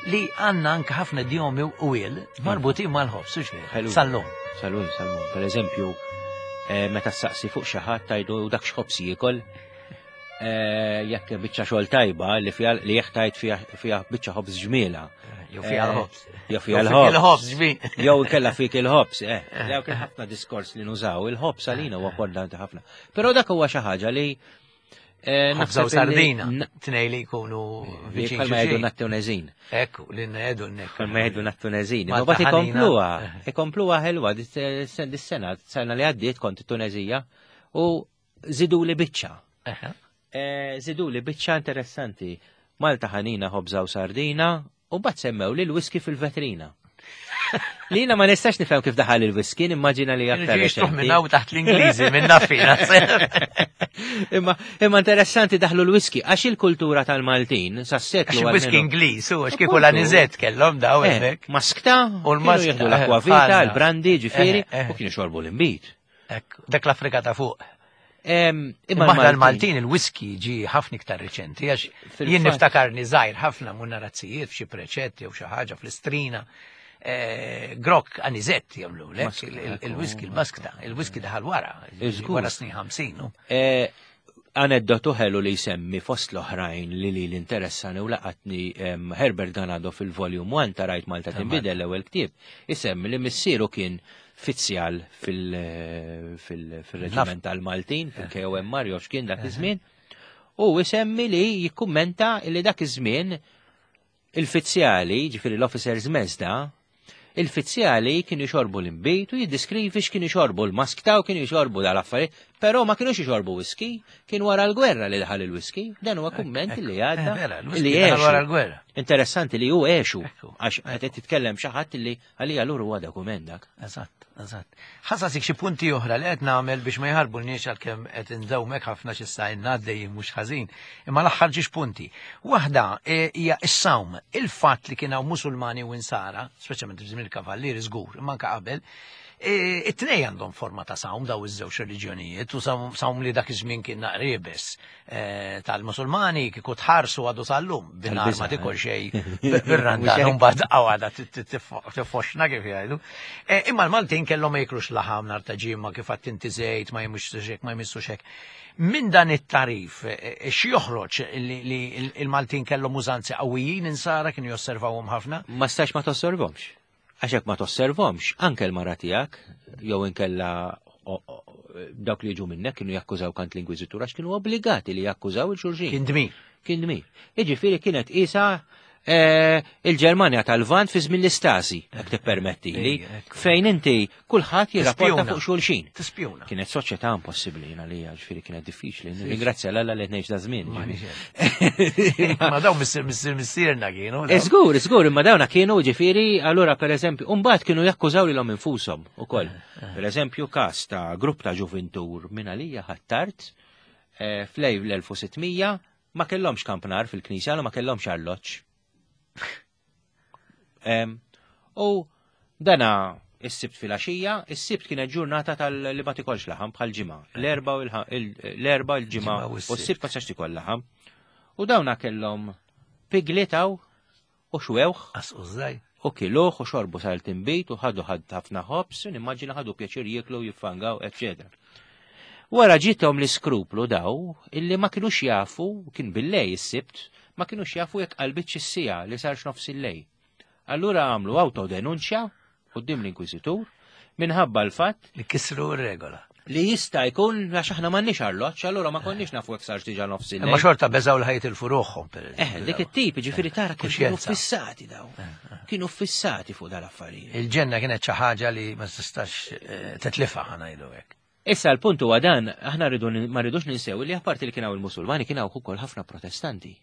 li għandna anke ħafna idjomi u il marbutin mal-ħobs, u xejn. Sal-lum. Sal-lum, sal-lum. Per eżempju, eh, meta saqsi fuq xi ħadd tgħidu dak x'ħobs jiekol, eh, jekk biċċa xogħol tajba li fiha li jekk tajt fiha biċċa ħobż ġmiela. Jew fiha eh, l-ħobs. Jew fiha l-ħobs. Jew kella fik il-ħobs, eh. Jew kien ħafna diskors li nużaw, il-ħobs għalina huwa importanti ħafna. Però dak huwa xi ħaġa li eh, Naħseb sardina, tnej li jkunu viċin. Bħalma jgħidu nat-Tunezin. Ekku, li ngħidu nek. Bħalma jgħidu nat-Tunezin. Ma bat ikompluha, ikompluha ħelwa dis-sena, sena li għaddiet kont it-Tunezija u zidu li biċċa. Eh, zidu li biċċa interessanti. Malta ħanina ħobża u sardina u bat semmew li l-whisky fil-vetrina. Lina ma nistax nifhem kif daħal il-whisky, nimmaġina li aktar. Ġiġ minn hawn taħt l-Ingliżi, minn nafina. Imma imma interessanti daħlu l-whisky, għax il-kultura tal-Maltin sa seklu. Għax whisky Ingliż, u għax kieku l-anizet kellhom daw eh, hemmhekk. Maskta, u l-maskta. Jieħdu l-akwa vita, l-brandi, ġifieri, eh, u kienu xorbu l-imbit. Dak l-Afrika ta' fuq. Imma aħna l-Maltin il-whisky ġi ħafna iktar riċenti, għax jien niftakarni żgħir ħafna mun narazzijiet f'xi preċetti jew xi ħaġa fl-istrina. Eh, grok anizett jagħmlu lek il-whisky il-maskta, il-whisky daħal wara, wara snin 50. Eh, aneddotu ħelu li jsemmi fost l-oħrajn li li l-interessani u laqatni Herbert Ganado fil-volume 1 ta' Rajt Malta tinbidel l-ewwel ktieb, isemmi li missieru kien fizzjal fil-reġiment tal-Maltin, fil-KOM Mario x'kien dak iż-żmien, u isemmi li jikkummenta li dak iż-żmien il-fizzjali, ġifieri l-officers mess da, il-fizzjali kienu jxorbu l-imbit u jiddiskrivi x'kienu jxorbu l-maskta u kienu jxorbu dal-affarijiet, però ma kienux jxorbu whisky, kien wara l-gwerra li daħal il-whisky, dan huwa kumment li għadda eh, li wara l-gwerra. Interessanti li hu għexu, għax qed titkellem xi ħadd li għalija lur huwa dokument dak. Eżatt, eżatt. Ħasasik xi punti oħra li qed nagħmel biex ma jħarbulniex għalkemm qed indewmek ħafna xi sa għaddejjin mhux ħażin. Imma l-aħħar ġiex punti. Waħda e, hija s-sawm, il-fatt li kien hawn Musulmani u Insara, speċjalment f'żmien il-Kavallieri żgur, imma anke qabel, e, it-tnej għandhom forma ta' sawm daw iż-żewġ reliġjonijiet u sawm li dak iż-żmien kien naqribes e, tal-Musulmani kieku tħarsu għadu sal-lum bin-nar ma tikol xejn bir-randan u mbagħad għada tifoxna kif jgħidu. Imma l-Maltin kellhom ma jiklux laħam nar ta' ġimgħa kif għadt inti żejt ma jmissux hekk ma jmissux hekk. Minn dan it-tarif, x'joħroġ li il-Maltin kellhom użanzi qawwijin insara kienu josservawhom ħafna? Ma stax ma tosservhomx. Għax jekk ma tosservhomx, anke l-mara tiegħek jew inkella dawk li jiġu minnek kienu jakkużaw kant l-Inkwiżitur għax kienu obbligati li jakkużaw il-xulxin. Kien dmir. Kien dmir. Jiġifieri kienet isa eh, il-Ġermanja tal-Lvant fi żmien l-Istasi, jekk tippermettili, fejn inti kulħadd jirrapporta fuq xulxin. Tispjuna. Kienet soċjetà impossibbli jiena li ġifieri kienet diffiċli. Ringrazzja l-Alla li ngħix da żmien. Ma dawn missier missier missierna kienu. Żgur, żgur, imma dawna kienu ġifieri allura pereżempju, mbagħad kienu jakkużaw lilhom infushom ukoll. Eh, eh. Pereżempju każ ta' grupp ta' ġuvintur minn għalija ħattart eh, flej l-1600 ma kellhomx kampnar fil-knisja, ma kellhomx arloġġ. U dana is-sibt filgħaxija, is-sibt kienet ġurnata tal-li ma tikolx laħam bħal ġimgħa. L-erba l-erba l-ġimgħa u s-sibt ma tistax tikol laħam. U dawna kellhom piglitaw u xwewħ. U kiluh u xorbu sal-timbit u ħadu ħad ħafna ħobs, u nimmaġina ħadu pjaċir jieklu jiffangaw, eccetera. Wara ġiethom l-iskruplu daw illi ma kinux jafu, kien bil-lej is-sibt, ma kinux jafu jekk qalbitx is-siegħa li sarx nofs il-lej. Allura għamlu autodenunċja quddiem l-Inkwiżitur minħabba l-fatt li kisru r-regola. Li jista' jkun għax aħna m'għandniex arloġġ, allura ma konniex nafu jekk sarx diġà nofs il-lejl. Imma xorta beżgħu li ħajtilfu ruħhom per Eh, dik it-tip, ġifieri tara kif kienu fissati daw. Eh, eh. Kienu fissati fuq dal-affarijiet. Il-ġenna kienet xi ħaġa li ma tistax eh, titlifha ħa ngħidu hekk. Issa l-punt huwa dan, aħna rridu ma rridux ninsew li apparti li kien hawn il-Musulmani kien hawn ukoll ħafna Protestanti.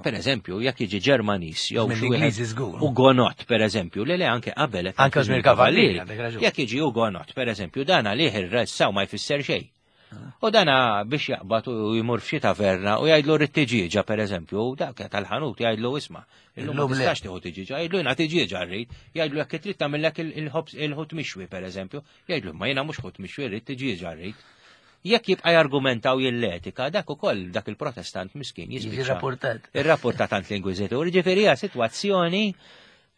Per eżempju, jekk jiġi Ġermanis jew xi wieħed Ugonot, per eżempju, li le anke qabel anke żmien kavallieri. Jekk jiġi Ugonot, per eżempju, dan għalih ir-ressaw ma jfisser xejn. U dana biex jaqbad u jmur f'xi taverna u jgħidlu rrid tiġieġa pereżempju, dak tal-ħanut jgħidlu isma' illum ma tistax tieħu tiġieġa, jgħidlu jiena tiġieġa rrid, jgħidlu jekk trid tagħmillek il-ħobż il-ħut mixwi pereżempju, jgħidlu ma jiena mhux ħut mixwi rrid tiġieġa rrid. Jekk jibqa' jargumenta u jilletika, dak ukoll dak il-protestant miskin jispiċċa. Irrapportat. Irrapportat għand l-Inkwiżitur, ġifieri hija sitwazzjoni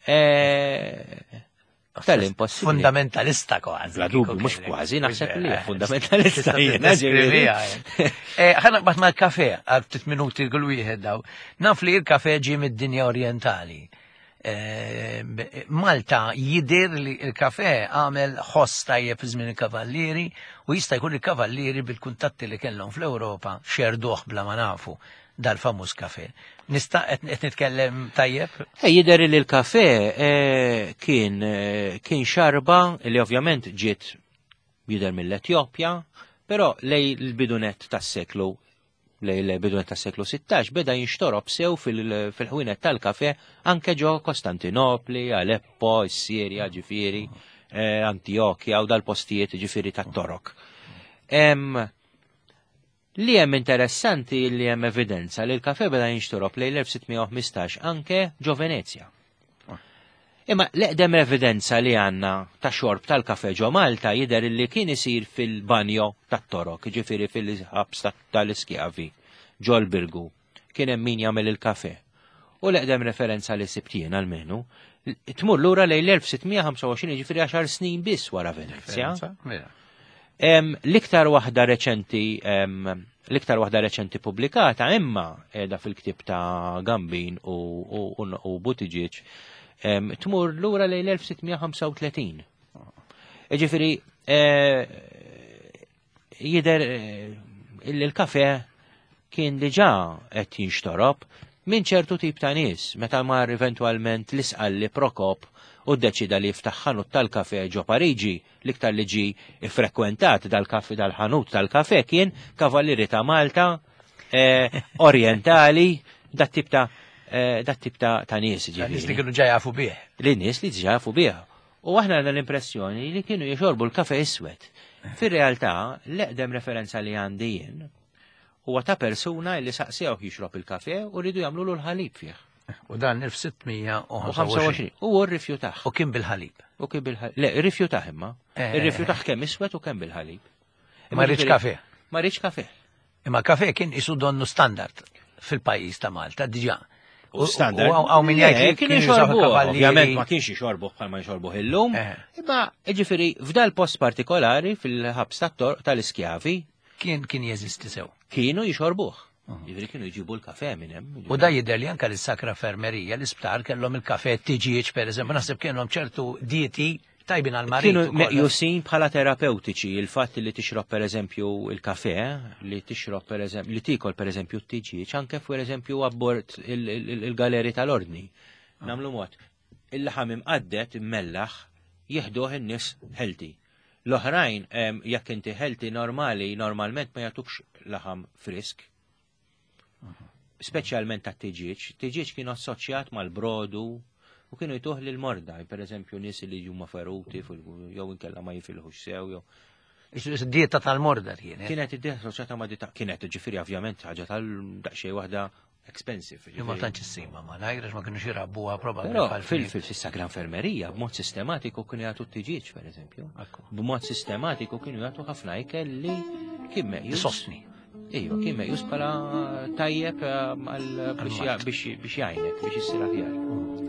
eh, Tal-impossibbli. Fundamentalista kważi. Bla dubju, mhux kważi, naħseb li fundamentalista jiena ġifieri. Eh, ħa naqbad mal-kafe għal ftit minuti kull wieħed daw. Naf li l-kafe ġie mid-dinja orjentali. Eh, Malta jidir li l-kafe għamel ħoss tajjeb fi żmien il-kavallieri u jista' jkun il-kavallieri bil-kuntatti li kellhom fl-Ewropa xerduh bla ma nafu dal-famuż kafe. Nista' qed nitkellem tajjeb? Ej, jidher li l-kafe eh, kien eh, kien xarba li ovvjament ġiet jidher mill-Etjopja, però lej l-bidunet tas-seklu lej l-bidunet tas-seklu 16 beda jinxtorob sew fil-ħwienet tal-kafe anke ġo Kostantinopli, Aleppo, Sirja, ġifieri, eh, Antiochia u dal-postijiet ġifieri tat-Torok. Li hemm interessanti li hemm evidenza li l-kafe beda jinxtorob lejn l-1615 anke ġo Venezja. Imma l-eqdem evidenza li għandna ta' xorb tal-kafe ġo Malta jidher li kien isir fil-banjo tat-Torok, ġifieri fil-ħabs tal-iskjavi ġol-Birgu. Kien hemm min jagħmel il-kafe. U l-eqdem referenza li sibt jien almenu tmur lura lejn l-1625 ġifieri għaxar snin biss wara Venezja. L-iktar waħda reċenti l-iktar waħda reċenti pubblikata imma qiegħda fil-ktieb ta' Gambin u, u, u, u Buttigieg tmur lura lejn l-1635. Ġifieri eh, jidher eh, illi l-kafe kien diġà qed jinxtorob minn ċertu tip ta' nies meta mar eventwalment l-isqalli Prokop u ddeċida li jiftaħ ħanut tal-kafe ġo Pariġi, l-iktar li ġi iffrekwentat dal-kafe dal-ħanut tal-kafe kien Kavallieri ta' Malta, eh, Orientali, dat tip ta' eh, dat tip ta' ta' nies ġifieri. Nies li kienu ġa jafu bih. Li nies li ġa jafu bih. U aħna għandna l-impressjoni li kienu jixorbu l-kafe iswed. Fir-realtà, l-eqdem referenza li għandi jien huwa ta' persuna li saqsewh jixrob il-kafe u rridu jagħmlulu l-ħalib fih. U dan 1625. U hu rrifjutah. U kien bil-ħalib. U kien bil-ħalib. Le, rrifjutah imma. Eh. Irrifjutah kemm iswed u kemm bil-ħalib. Ma rridx kafe. Ma rridx kafe. Imma kafe kien isu donnu standard fil-pajjiż ta' Malta diġà. U standard. U għaw min jgħid li kienu jxorbu. Ovvjament ma kienx jxorbu bħal ma jxorbu illum. Eh. Imma ġifieri f'dal post partikolari fil-ħabs tal-iskjavi. Kien kien jeżisti sew. Kienu jxorbuh. Mhm. Ġifieri kienu jġibu l-kafe minn hemm. U da jidher li anke lis-Sakra Fermerija l-isptar kellhom il-kafe tiġieġ pereżempju, naħseb kellhom ċertu dieti tajbin għal marid. Kienu meqjusin bħala terapeutiċi il-fatt li tixrob pereżempju il-kafe, li tixrob pereżempju li tikol pereżempju t-tiġieġ, anke pereżempju abbord il-galeri tal-ordni. Ah. Namlu mod, il-laħam imqaddet immellaħ jieħduh in-nies healthy. L-oħrajn, jekk inti healthy normali, normalment ma jagħtukx laħam frisk. Speċjalment ta' tiġieġ. Tiġieġ kien assoċjat mal-brodu u kienu jtuh lil morda, per eżempju nies li huma feruti jew inkella ma jifilħux sew jew. Dieta tal-morda kienet. Kienet id-dieta assoċjata ma' dieta kienet ġifieri ovvjament ħaġa tal-daqsxejn waħda expensive. Li ma tantx issima ma ngħid għax ma kienux irabbuha probabbli. Però fil-sagra infermerija b'mod sistematiku kienu jagħtu t-tiġieġ pereżempju. B'mod sistematiku kienu jagħtu ħafna ikel li kien meqjus. Sostni. Ejwa, kien meqjus bħala tajjeb eh, biex jgħinek, biex issir aħjar.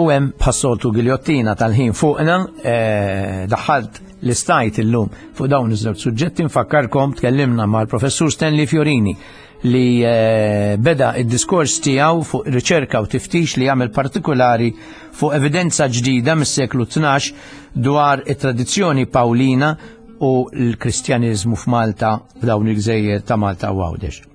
U hemm bħas-soltu giljottina tal-ħin fuqna, eh, daħħalt l-istajt illum fuq dawn iż-żewġ suġġetti nfakkarkom tkellimna mal-professur Stanley Fiorini li eh, beda id-diskors tiegħu fuq riċerka u tiftix li jagħmel partikolari fuq evidenza ġdida mis-seklu 12 dwar it-tradizzjoni Pawlina u l-Kristjaniżmu f'Malta f'dawn il-gżejjer ta' Malta u Għawdex.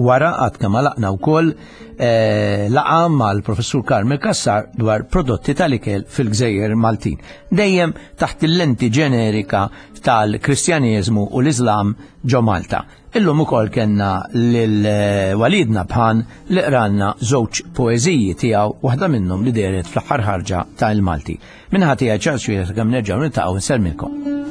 Wara għad kemm għalaqna wkoll eh, laqa mal-professur Carmel Kassar dwar prodotti tal-ikel fil-Gżejjer Maltin. Dejjem taħt il-lenti ġenerika tal-Kristjaneżmu u l-Iżlam ġo Malta. Illum ukoll kellna lil eh, Walid Nabhan li qralna żewġ poeżiji tiegħu waħda minnhom li dehret fl-aħħar ħarġa ta' Il-Malti. Minħa tiegħi Charles Xwieħ kemm nerġgħu niltaqgħu nsellmilkom.